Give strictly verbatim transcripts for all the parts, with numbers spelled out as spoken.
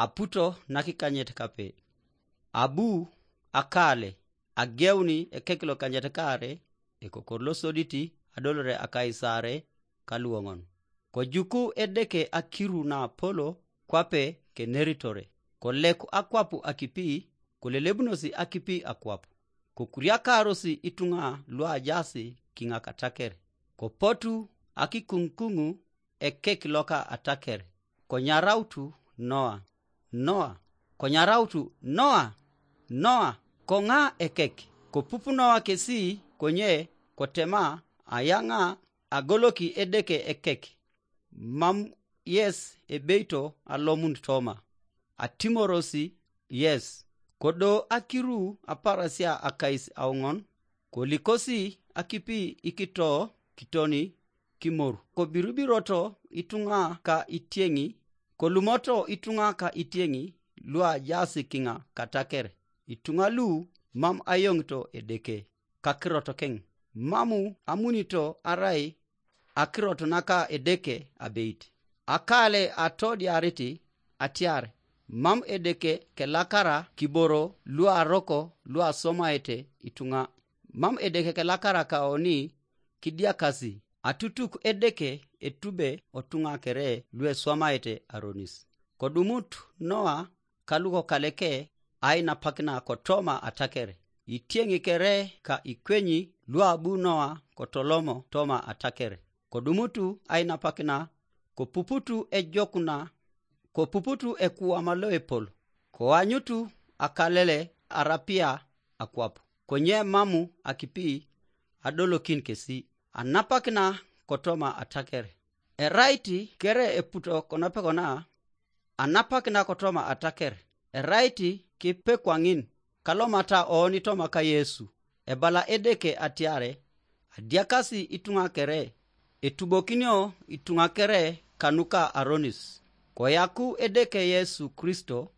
aputo nakikanyet kape. Abu akale, ageuni ekek lokanyet kaare, ekokor losoditi adolore akaisare kaluoŋon. Kojuku Edeke akiru na apolo kwape keneritore, koleku akwapu akipi, kolelebunosi akipi akwap. Kokuriakarosi ituŋa luajaasi kiŋa kataker. Kopotu akikuŋkuŋu ekek loka ataker, konyarautu Noa, Noa, konyarautu Noa, Noa, koŋa ekek. Kopup Noa kesi konye kotema ayaŋa agoloki Edeke ekek, mam yes ebeito alomun toma, atimorosi yes. Kodo akiru aparasia akais auŋon, kolikosi akipi ikito kitoni kimor, kobirubiroto ituŋa ka itieŋi, kolumoto ituŋa ka itieŋi luajaasi kiŋa kataker, ituŋa lu mam ayoŋito Edeke kakirot keŋ, mamu amunito arai akirot naka Edeke abeit. Akale atodiarit atiar mam Edeke kelakara kiboro luaroko luasomaete ituŋa, mam Edeke kelakara kaoni kidiakasi, atutuk Edeke etube otuŋa kere lueswamaete aronis. Kodumut Noa kalukokaleke ainapakina kotoma ataker, itieŋi kere ka ikwenyi luabu Noa kotolomo toma ataker. Kodumutu ainapakina, kopuputu ejokuna, kopuputu ekuwama loepol, koanyutu akalele arapia akwap, konye mamu akipi adolokin kesi, anapakina kotoma ataker. Erait kere eputo konapekona, anapakina kotoma ataker, erait kipekwaŋin kalomata oni toma ka Yesu. Ebala Edeke atiare, adiakasi ituŋa kere, etubokinio ituŋa kere kanuka aronis. Koyaku Edeke Yesu Kristo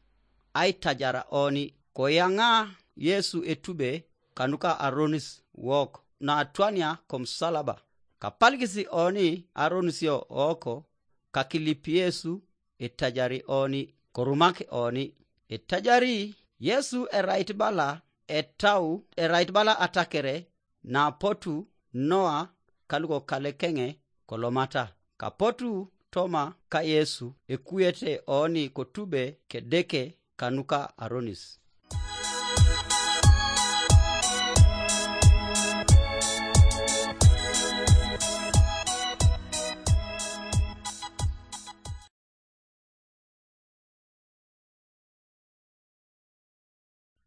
aitajara oni, koyaŋa Yesu etube kanuka aronis wok naatwania komusalaba. Kapalikisi oni aronisio woko, kakilip Yesu etajari oni, korumak oni. Etajari Yesu erait bala etau, erait bala atakere, napotu Noa kalukokalekeŋe kolomata, kapotu toma ka Yesu ekuyete oni kotube kedeke kanuka aronis.